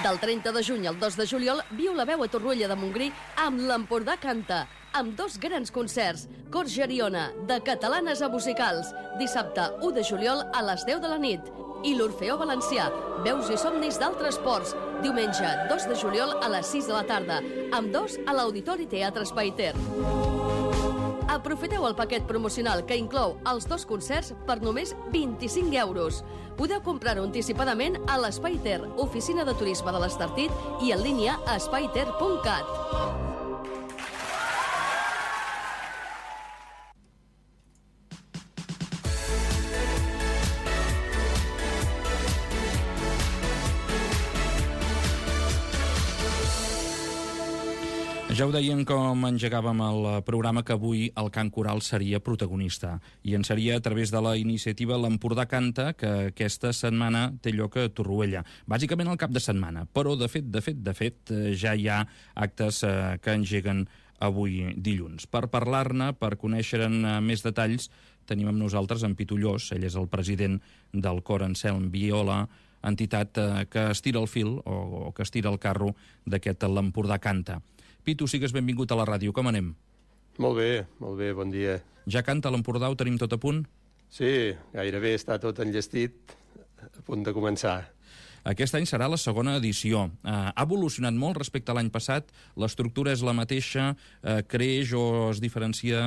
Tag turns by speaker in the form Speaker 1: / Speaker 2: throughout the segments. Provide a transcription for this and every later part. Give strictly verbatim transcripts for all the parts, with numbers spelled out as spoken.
Speaker 1: Del trenta de juny al dos de juliol, viu la veu a Torroella de Montgrí amb l'Empordà Canta, amb dos grans concerts. Cor Geriona, de catalanes a musicals, dissabte u de juliol a les deu de la nit. I l'Orfeó Valencià, veus i somnis d'altres ports, diumenge dos de juliol a les sis de la tarda, amb dos a l'Auditori Teatre Espai Ter. Aprofiteu el paquet promocional que inclou els dos concerts per només vint-i-cinc euros. Podeu comprar-ho anticipadament a l'Espai Ter, oficina de turisme de l'Estartit, i en línia a espaiter punt cat.
Speaker 2: Ja ho deien com engegàvem el programa, que avui el cant coral seria protagonista, i en seria a través de la iniciativa l'Empordà Canta, que aquesta setmana té lloc a Torroella, bàsicament al cap de setmana, però de fet, de fet, de fet, ja hi ha actes eh, que engeguen avui dilluns. Per parlar-ne, per conèixer-ne més detalls, tenim amb nosaltres en Pitu Llos. Ell és el president del cor Anselm Viola, entitat eh, que estira el fil, o, o que estira el carro d'aquest l'Empordà Canta. Pitu, sigues benvingut a la ràdio. Com anem?
Speaker 3: Molt bé, molt bé, bon dia.
Speaker 2: Ja canta l'Empordà, ho tenim tot a punt?
Speaker 3: Sí, gairebé està tot enllestit, a punt de començar.
Speaker 2: Aquest any serà la segona edició. Uh, ha evolucionat molt respecte a l'any passat? L'estructura és la mateixa? Uh, creix o es diferencia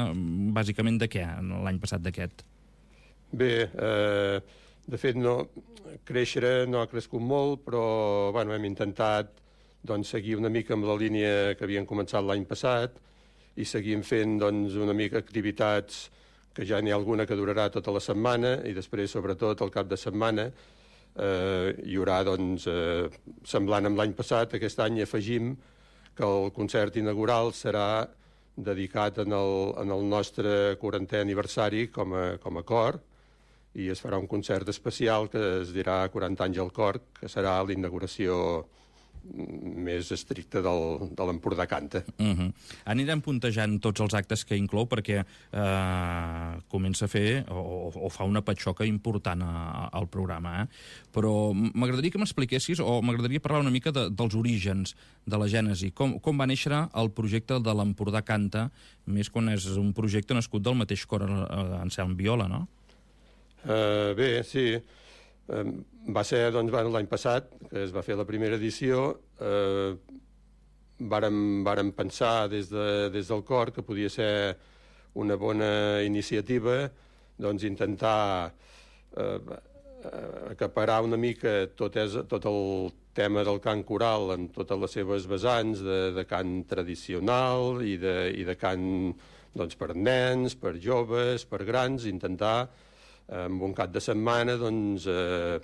Speaker 2: bàsicament de què, l'any passat d'aquest?
Speaker 3: Bé, eh, de fet, no, créixer no ha crescut molt, però bueno, hem intentat doncs, seguir una mica amb la línia que havien començat l'any passat i seguim fent doncs, una mica activitats que ja n'hi ha alguna que durarà tota la setmana i després, sobretot, al cap de setmana eh, hi haurà, doncs, eh, semblant amb l'any passat, aquest any afegim que el concert inaugural serà dedicat en el, en el nostre quarantè aniversari com a, com a cor, i es farà un concert especial que es dirà quaranta anys al cor, que serà l'inauguració més estricte del, de l'Empordà Canta.
Speaker 2: Uh-huh. Anirem puntejant tots els actes que inclou perquè eh, comença a fer o, o fa una patxoca important a, a, al programa, eh? Però m'agradaria que m'expliquessis, o m'agradaria parlar una mica de, dels orígens de la gènesi. Com, com va néixer el projecte de l'Empordà Canta, més quan és un projecte nascut del mateix cor Anselm Viola, no?
Speaker 3: Uh, bé, sí. Uh, va ser doncs, bueno, l'any passat que es va fer la primera edició. eh, vàrem, vàrem pensar des, de, des del cor que podia ser una bona iniciativa doncs, intentar eh, acaparar una mica tot, és, tot el tema del cant coral en totes les seves vessants de, de cant tradicional i de, i de cant doncs, per nens, per joves, per grans, intentar en un cap de setmana doncs, eh,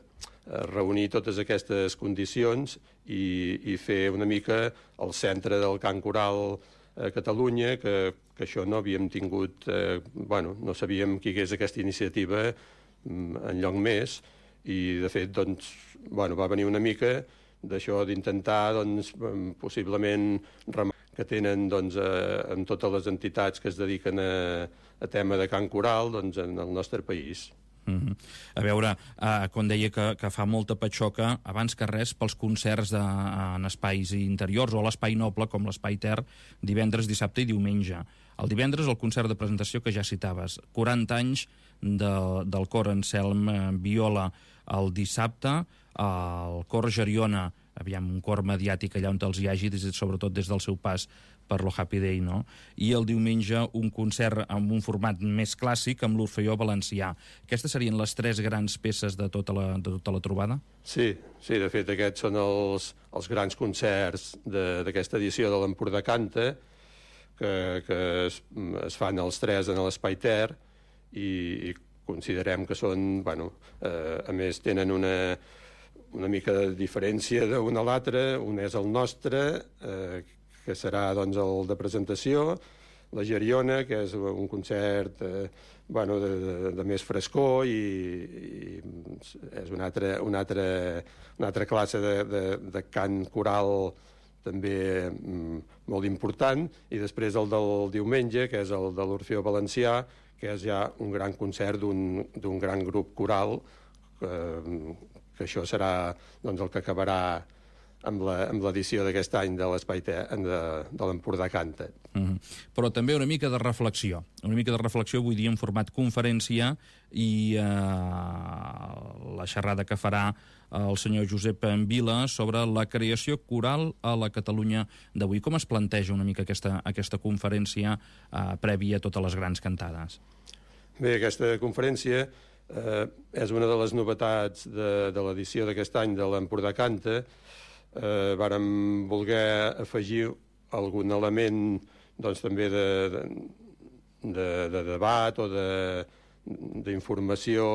Speaker 3: reunir totes aquestes condicions i, i fer una mica el centre del cant coral a Catalunya, que, que això no havíem tingut, eh, bueno, no sabíem que hi hagués aquesta iniciativa enlloc més, i de fet doncs, bueno, va venir una mica d'això d'intentar doncs, possiblement remar que tenen doncs, eh, amb totes les entitats que es dediquen a, a tema de cant coral doncs, en el nostre país.
Speaker 2: Mm-hmm. A veure, eh, quan deia que, que fa molta patxoca, abans que res pels concerts de, en espais interiors o l'espai noble com l'espai Ter, divendres, dissabte i diumenge. El divendres el concert de presentació que ja citaves, quaranta anys de, del cor Anselm Viola. El dissabte el cor Geriona, aviam, un cor mediàtic allà on els hi hagi, des, sobretot des del seu pas per lo Happy Day, no? I el diumenge un concert amb un format més clàssic amb l'Orfeó Valencià. Aquestes serien les tres grans peces de tota la, de tota la trobada?
Speaker 3: Sí, sí, de fet aquests són els, els grans concerts d'aquesta edició de l'Empordà Canta, que, que es, es fan els tres en l'Espai Ter, i, i considerem que són, bueno, eh, a més tenen una una mica de diferència d'un a l'altre. Un és el nostre, eh, que serà doncs, el de presentació, la Geriona, que és un concert eh, bueno, de, de, de més frescor i, i és una altra, una altra, una altra classe de, de, de cant coral també mm, molt important, i després el del diumenge, que és el de l'Orfeó Valencià, que és ja un gran concert d'un gran grup coral, que, que això serà doncs, el que acabarà amb l'edició d'aquest any de l'Espai Ter, de, de l'Empordà Canta.
Speaker 2: Mm-hmm. Però també una mica de reflexió. Una mica de reflexió, vull dir, en format conferència, i eh, la xerrada que farà el senyor Josep Vila sobre la creació coral a la Catalunya d'avui. Com es planteja una mica aquesta, aquesta conferència eh, prèvia a totes les grans cantades?
Speaker 3: Bé, aquesta conferència eh, és una de les novetats de, de l'edició d'aquest any de l'Empordà Canta. Eh, vàrem voler afegir algun element doncs, també de, de, de, de debat o d'informació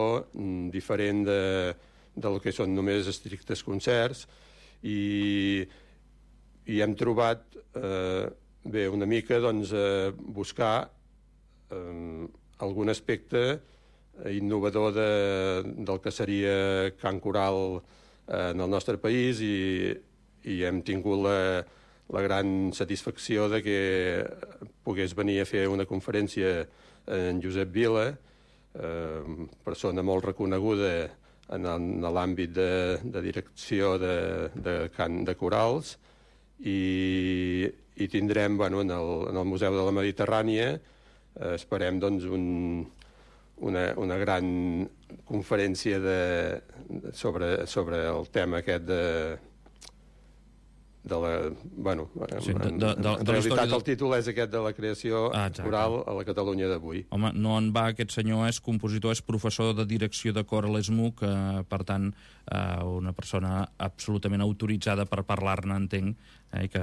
Speaker 3: diferent de, del que són només estrictes concerts, i, i hem trobat eh, bé, una mica doncs, eh, buscar eh, algun aspecte innovador de, del que seria cant coral eh, en el nostre país, i, i hem tingut la, la gran satisfacció de que pogués venir a fer una conferència en Josep Vila, eh, persona molt reconeguda en l'àmbit de, de direcció de, de cant de corals, i, i tindrem bueno, en, el, en el Museu de la Mediterrània, eh, esperem doncs, un, una, una gran conferència de, de, sobre, sobre el tema aquest de de la... Bueno, sí, de, de, de, en realitat el títol és aquest de la creació ah, coral a la Catalunya d'avui.
Speaker 2: Home, no en va, aquest senyor és compositor, és professor de direcció de cor a l'E S M U, que, per tant, eh, una persona absolutament autoritzada per parlar-ne, entenc, eh, que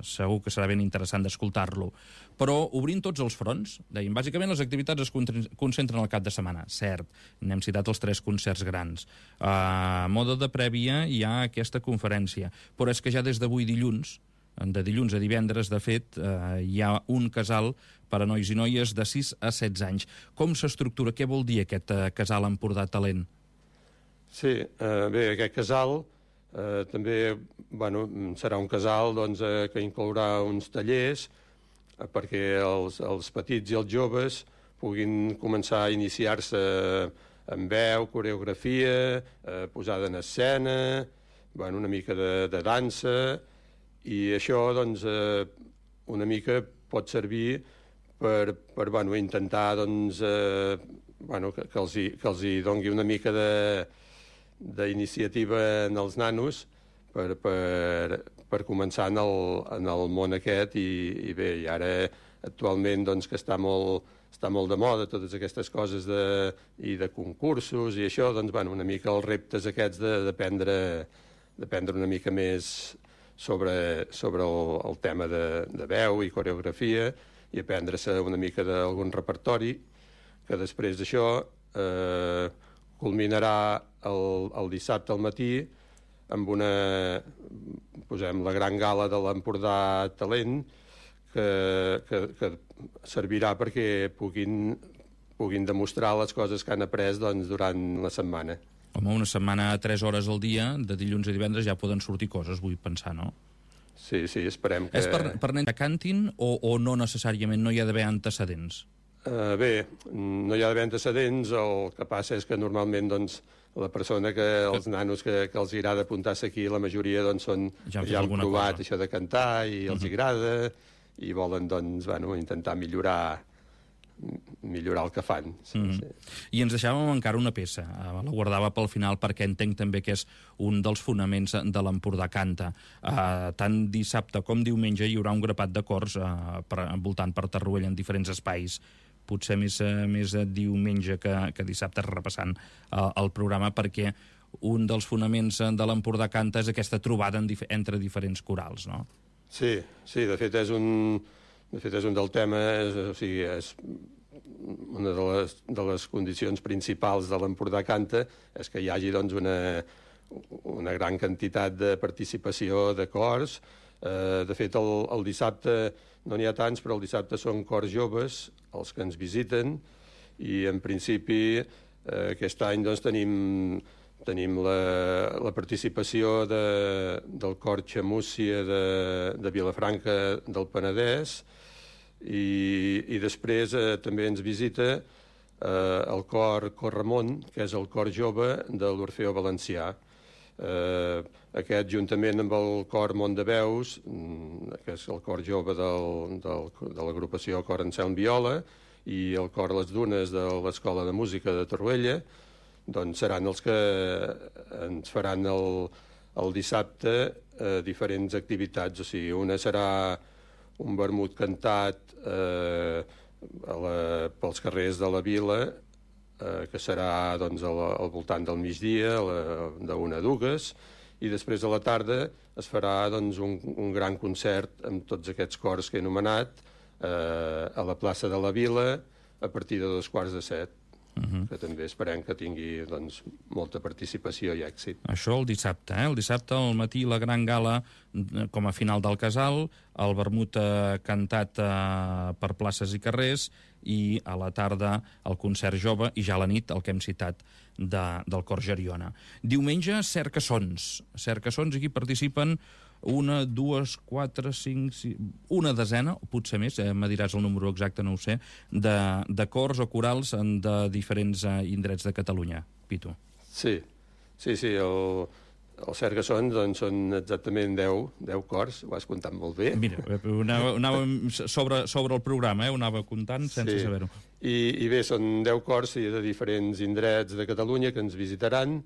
Speaker 2: segur que serà ben interessant d'escoltar-lo. Però obrint tots els fronts, deien, bàsicament les activitats es concentren al cap de setmana, cert, n'hem citat els tres concerts grans. A moda de prèvia hi ha aquesta conferència, però és que ja des d'avui dilluns, de dilluns a divendres, de fet, eh, hi ha un casal per a nois i noies de sis a setze anys. Com s'estructura? Què vol dir aquest eh, casal Empordà Talent?
Speaker 3: Sí, eh, bé, aquest casal eh, també bueno, serà un casal doncs, eh, que inclourà uns tallers eh, perquè els, els petits i els joves puguin començar a iniciar-se en veu, coreografia, eh, posada en escena, bueno, una mica de, de dansa, i això doncs, eh, una mica pot servir per, per bueno, intentar doncs, eh, bueno, que, que, els hi, que els hi dongui una mica d'iniciativa en els nanos per, per, per començar en el, en el món aquest, i, i bé, i ara actualment doncs, que està molt, està molt de moda totes aquestes coses de, i de concursos i això, doncs, bueno, una mica els reptes aquests d'aprendre d'aprendre una mica més sobre, sobre el, el tema de, de veu i coreografia, i aprendre-se una mica d'algun repertori, que després d'això eh, culminarà el, el dissabte al matí amb una, posem, la gran gala de l'Empordà Talent, que, que, que servirà perquè puguin, puguin demostrar les coses que han après doncs, durant la setmana.
Speaker 2: Home, una setmana a tres hores al dia, de dilluns a divendres, ja poden sortir coses, vull pensar, no?
Speaker 3: Sí, sí, esperem que...
Speaker 2: És per, per nens que cantin o, o no necessàriament, no hi ha d'haver antecedents?
Speaker 3: Uh, bé, no hi ha d'haver antecedents, el que passa és que normalment doncs, la persona que, els nanos que, que els agrada apuntar-se aquí, la majoria doncs, són, ja han, ja han provat cosa. Això de cantar i els uh -huh. agrada, i volen doncs, bueno, intentar millorar millorar el que fan. Sí, mm -hmm. sí.
Speaker 2: I ens deixàvem encara una peça, la guardava pel final perquè entenc també que és un dels fonaments de l'Empordà Canta. Uh, tant dissabte com diumenge hi haurà un grapat de cors uh, per, voltant per Tarruella en diferents espais, potser més, uh, més diumenge que, que dissabte, repassant uh, el programa, perquè un dels fonaments de l'Empordà Canta és aquesta trobada en dif entre diferents corals, no?
Speaker 3: Sí, sí, de fet és un... De fet, és un del tema, és, o sigui, és una de les, de les condicions principals de l'Empordà Canta, és que hi hagi doncs, una, una gran quantitat de participació de cors. Eh, de fet, el, el dissabte no n'hi ha tants, però el dissabte són cors joves els que ens visiten, i en principi eh, aquest any doncs, tenim, tenim la, la participació de, del cor Xamúcia de, de Vilafranca del Penedès, I, i després eh, també ens visita eh, el cor Cor Ramon, que és el cor jove de l'Orfeó Valencià. Eh, aquest, juntament amb el cor Mont de Veus, que és el cor jove del, del, de l'agrupació Cor Anselm Viola, i el cor Les Dunes de l'Escola de Música de Torroella, doncs seran els que ens faran el, el dissabte eh, diferents activitats. O sigui, una serà un vermut cantat eh, a la, pels carrers de la vila, eh, que serà doncs, al, al voltant del migdia, d'una a dues, i després a la tarda es farà doncs, un, un gran concert amb tots aquests cors que he anomenat eh, a la plaça de la Vila a partir de dos quarts de set, uh-huh. que també esperem que tingui doncs, molta participació i èxit.
Speaker 2: Això el dissabte, eh? El dissabte al matí la gran gala com a final del casal, el vermut eh, cantat eh, per places i carrers, i a la tarda el concert jove, i ja a la nit el que hem citat de, del Cor Geriona. Diumenge, Cercassons. Cercassons, aquí participen una, dues, quatre, cinc, sis, una desena, o potser més, eh, me diràs el número exacte, no ho sé, de, de cors o corals de diferents eh, indrets de Catalunya. Pitu.
Speaker 3: Sí, sí, sí, el... Els Cercassons doncs, són exactament deu, deu cors, ho has comptat molt bé.
Speaker 2: Mira, anàvem anava sobre, sobre el programa, eh? Ho anava comptant sense sí. saber-ho.
Speaker 3: I, I bé, són deu cors sí, de diferents indrets de Catalunya que ens visitaran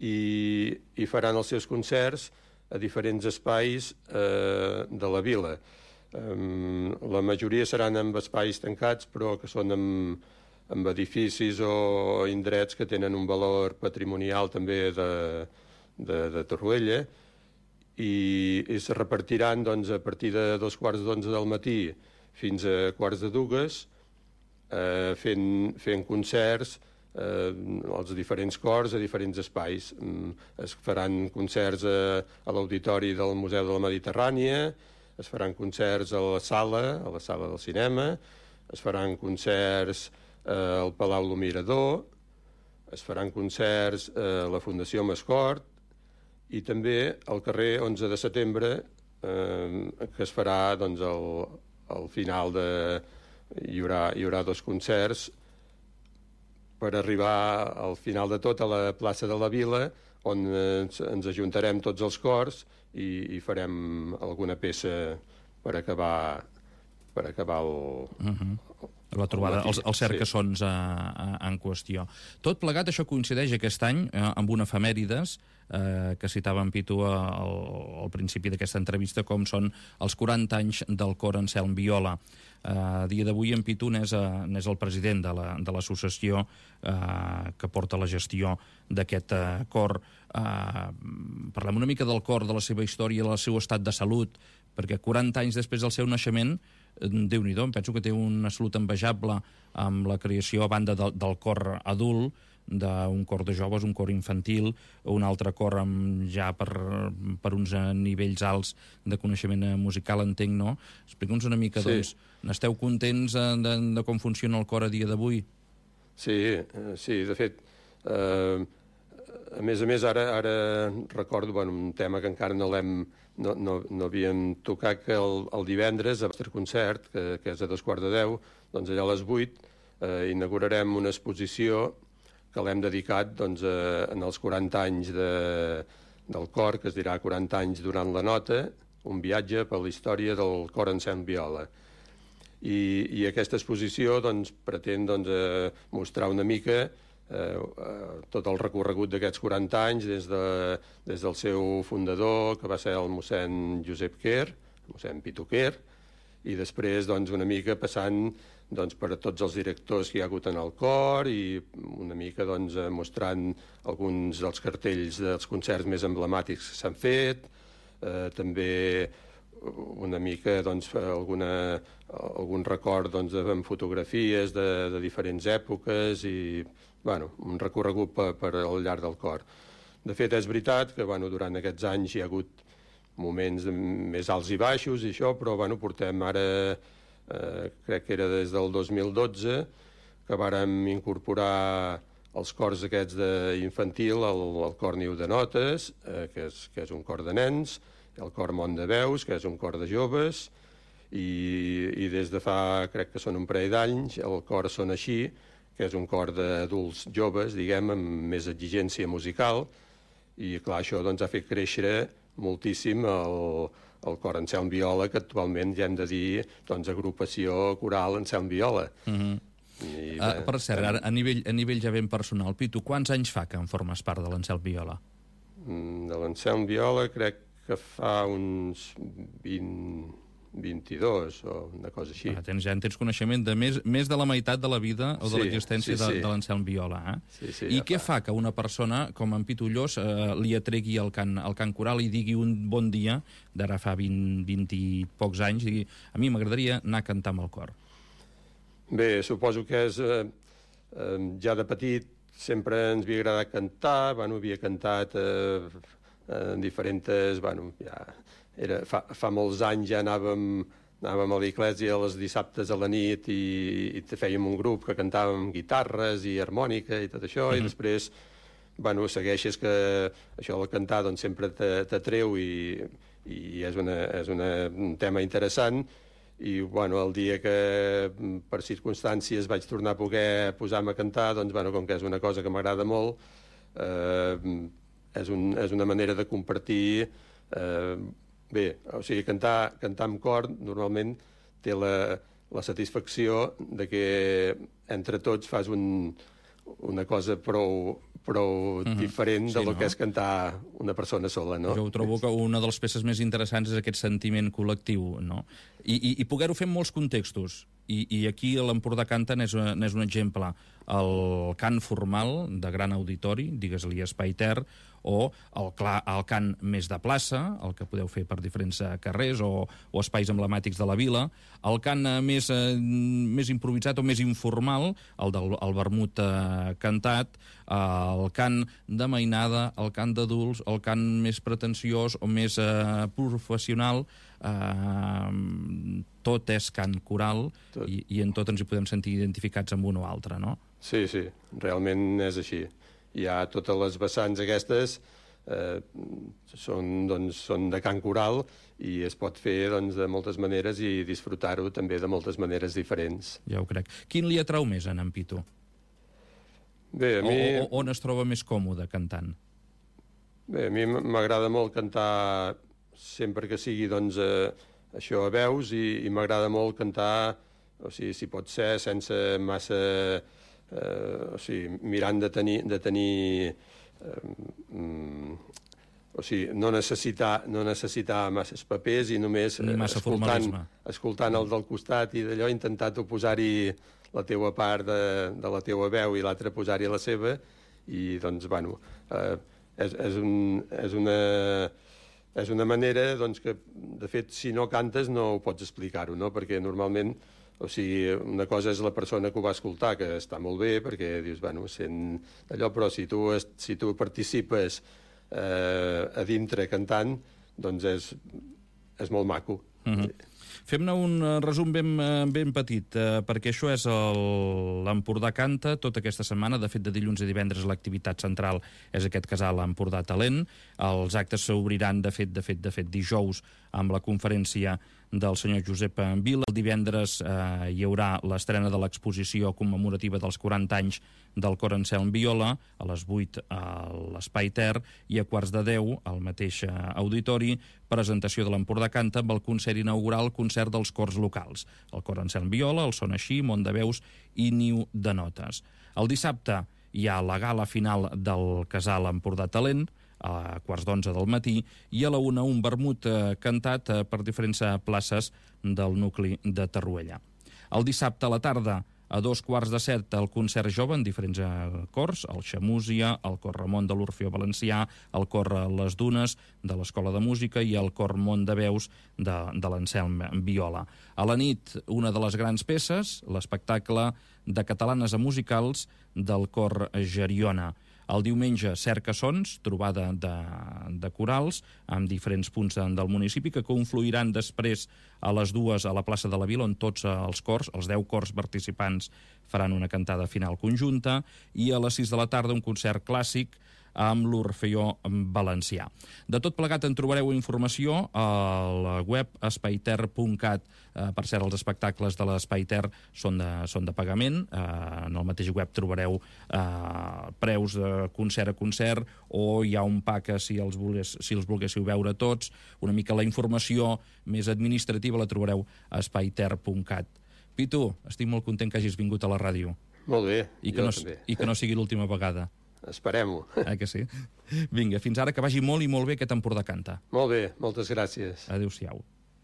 Speaker 3: i, i faran els seus concerts a diferents espais eh, de la vila. Um, la majoria seran en espais tancats, però que són amb, amb edificis o indrets que tenen un valor patrimonial també de... De, de Torroella, i, i se repartiran doncs, a partir de dos quarts d'onze del matí fins a quarts de dues, eh, fent, fent concerts eh, als diferents cors a diferents espais. Es faran concerts a, a l'auditori del Museu de la Mediterrània, es faran concerts a la sala, a la sala del cinema, es faran concerts eh, al Palau Lo Mirador, es faran concerts a la Fundació Mascort, i també al carrer onze de setembre, eh, que es farà doncs, al, al final de... Hi haurà, hi haurà dos concerts per arribar al final de tot a la plaça de la Vila, on ens, ens ajuntarem tots els cors i, i farem alguna peça per acabar, per acabar el...
Speaker 2: Uh-huh. La trobada, els, els Cercassons sí. en qüestió. Tot plegat, això coincideix aquest any eh, amb una efemèrides eh, que citava en Pitu al, al principi d'aquesta entrevista, com són els quaranta anys del Cor Anselm Viola. Eh, a dia d'avui en Pitu n'és, eh, n'és el president de, la, de l'associació eh, que porta la gestió d'aquest eh, cor. Eh, parlem una mica del cor, de la seva història, del seu estat de salut, perquè quaranta anys després del seu naixement, Déu-n'hi-do, em penso que té una salut envejable amb la creació a banda del, del cor adult, d'un cor de joves, un cor infantil, un altre cor amb, ja per, per uns nivells alts de coneixement musical, entenc, no? Explica'ns una mica, sí. doncs, n'esteu contents de, de com funciona el cor a dia d'avui?
Speaker 3: Sí, sí, de fet, eh, a més a més, ara, ara recordo bueno, un tema que encara no l'hem no, no, no havíem tocat, que el, el divendres, al nostre concert, que, que és a dos quarts de deu, doncs allà a les vuit, eh, inaugurarem una exposició que l'hem dedicat doncs, a, en els quaranta anys de, del cor, que es dirà quaranta anys durant la nota, un viatge per la història del Cor Anselm Viola. I, i aquesta exposició doncs, pretén doncs, eh, mostrar una mica Eh, eh, tot el recorregut d'aquests quaranta anys des, de, des del seu fundador, que va ser el mossèn Josep Quer, mossèn Pitu Quer, i després doncs, una mica passant doncs, per a tots els directors que hi ha hagut en el cor i una mica doncs, mostrant alguns dels cartells dels concerts més emblemàtics que s'han fet, eh, també una mica doncs, alguna, algun record doncs, amb fotografies de, de diferents èpoques i bueno, un recorregut per, per al llarg del cor. De fet, és veritat que bueno, durant aquests anys hi ha hagut moments més alts i baixos i això, però bueno, portem ara, eh, crec que era des del dos mil dotze, que vàrem incorporar els cors aquests d'infantil, el, el cor Niu de Notes, eh, que, és, que és un cor de nens, el cor Mont de Veus, que és un cor de joves, i, i des de fa, crec que són un parell d'anys, el cor Són Així, que és un cor d'adults joves, diguem, amb més exigència musical, i clar, això doncs, ha fet créixer moltíssim el, el cor Anselm Viola, que actualment ja hem de dir doncs, agrupació coral Anselm Viola.
Speaker 2: Mm-hmm. I, uh, per cert, a, a, nivell, a nivell ja ben personal, Pitu, quants anys fa que en formes part de l'Anselm Viola?
Speaker 3: De l'Anselm Viola crec que fa uns vint, vint-i-dos o una cosa així.
Speaker 2: Ah, tens, ja en tens coneixement de més, més de la meitat de la vida o de
Speaker 3: sí,
Speaker 2: l'existència
Speaker 3: sí, sí.
Speaker 2: de, de l'Anselm Viola. Eh?
Speaker 3: Sí, sí,
Speaker 2: I
Speaker 3: ja
Speaker 2: què
Speaker 3: fa.
Speaker 2: fa que una persona com en Pitu Llos eh, li atregui el cant, el cant coral i digui un bon dia, d'ara fa vint, vint i pocs anys, digui, a mi m'agradaria anar a cantar amb el cor?
Speaker 3: Bé, suposo que és... Eh, eh, ja de petit sempre ens havia agradat cantar, bueno, havia cantat eh, en diferents... Bueno, ja era, fa, fa molts anys ja anàvem, anàvem a l'església els dissabtes a la nit i, i fèiem un grup que cantàvem guitarres i harmònica i tot això, mm-hmm. i després, bueno, segueixes que això del cantar doncs, sempre t'atreu i, i és, una, és una, un tema interessant. I, bueno, el dia que per circumstàncies vaig tornar a poder posar-me a cantar, doncs, bueno, com que és una cosa que m'agrada molt, eh, és, un, és una manera de compartir... Eh, bé, o sigui, cantar, cantar amb cor normalment té la, la satisfacció de que entre tots fas un, una cosa prou, prou mm-hmm. diferent de sí, lo no? que és cantar una persona sola, no?
Speaker 2: Jo ho trobo que una de les peces més interessants és aquest sentiment col·lectiu, no? I, i, i poder-ho fer en molts contextos. I, i aquí l'Empordà Canta n'és un exemple. El cant formal de gran auditori, digues-li espai ter, o el, clar, el cant més de plaça, el que podeu fer per diferents carrers o, o espais emblemàtics de la vila, el cant més, eh, més improvisat o més informal, el del el vermut eh, cantat, eh, el cant de mainada, el cant d'adults, el cant més pretensiós o més eh, professional, eh, tot és cant coral tot. I, i en tot ens hi podem sentir identificats amb un o altre, no?
Speaker 3: Sí, sí, realment és així. Hi ha totes les vessants aquestes, eh, són, doncs, són de cant coral i es pot fer doncs, de moltes maneres i disfrutar-ho també de moltes maneres diferents.
Speaker 2: Ja ho crec. Quin li atrau més en Pitu?
Speaker 3: Bé, a mi...
Speaker 2: O, o, on es troba més còmode cantant?
Speaker 3: Bé, a mi m'agrada molt cantar sempre que sigui doncs, eh, això a veus i, i m'agrada molt cantar, o sigui, si pot ser sense massa... Eh, o sigui, mirant de tenir, de tenir eh, mm, o sigui, no necessitar, no necessitar masses papers i només
Speaker 2: Ni massa
Speaker 3: escoltant, escoltant el del costat i d'allò, intentar-ho posar-hi la teua part de, de la teua veu i l'altra posar-hi la seva i doncs, bueno, eh, és, és, un, és una... És una manera doncs, que, de fet, si no cantes no ho pots explicar-ho, no? Perquè normalment, o sigui, una cosa és la persona que ho va escoltar, que està molt bé, perquè dius, bueno, sent allò, però si tu, si tu participes eh, a dintre cantant, doncs és, és molt maco.
Speaker 2: Mm-hmm. Fem-ne un resum ben, ben petit, eh, perquè això és l'Empordà Canta tota aquesta setmana. De fet, de dilluns a divendres l'activitat central és aquest casal Empordà Talent. Els actes s'obriran, de fet, de fet, de fet, dijous amb la conferència del senyor Josep Vila. El divendres eh, hi haurà l'estrena de l'exposició commemorativa dels quaranta anys del cor Anselm Viola, a les vuit a l'Espai Ter, i a quarts de deu, al mateix eh, auditori, presentació de l'Empordà Canta amb el concert inaugural, concert dels cors locals. El cor Anselm Viola, el Son Així, Mont de Veus i Niu de Notes. El dissabte hi ha la gala final del casal Empordà Talent, a quarts d'onze del matí, i a la una un vermut eh, cantat eh, per diferents eh, places del nucli de Torroella. El dissabte a la tarda, a dos quarts de set, el concert jove en diferents eh, cors, el Xamúsia, el cor Ramon de l'Orfeó Valencià, el cor Les Dunes de l'Escola de Música i el cor Mont de Veus de, de l'Anselm Viola. A la nit, una de les grans peces, l'espectacle de catalanes a musicals del cor Geriona. El diumenge, Cerca-Sons, trobada de, de corals amb diferents punts del municipi que confluiran després a les dues a la plaça de la Vila, on tots els cors, els deu cors participants, faran una cantada final conjunta, i a les sis de la tarda un concert clàssic amb l'Orfeó Valencià. De tot plegat en trobareu informació a la web espaiter punt cat. Eh, per cert, els espectacles de l'Espai Ter són de, són de pagament. Eh, en el mateix web trobareu eh, preus de concert a concert, o hi ha un pack si els, volgués, si els volguéssiu veure tots. Una mica la informació més administrativa la trobareu a espaiter punt cat. Pitu, estic molt content que hagis vingut a la ràdio.
Speaker 3: Molt bé,
Speaker 2: I que
Speaker 3: jo
Speaker 2: no,
Speaker 3: també.
Speaker 2: I que no sigui l'última vegada.
Speaker 3: Esperem-ho.
Speaker 2: Eh que sí? Vinga, fins ara, que vagi molt i molt bé aquest Empordà Canta.
Speaker 3: Molt bé, moltes gràcies.
Speaker 2: Adéu-siau.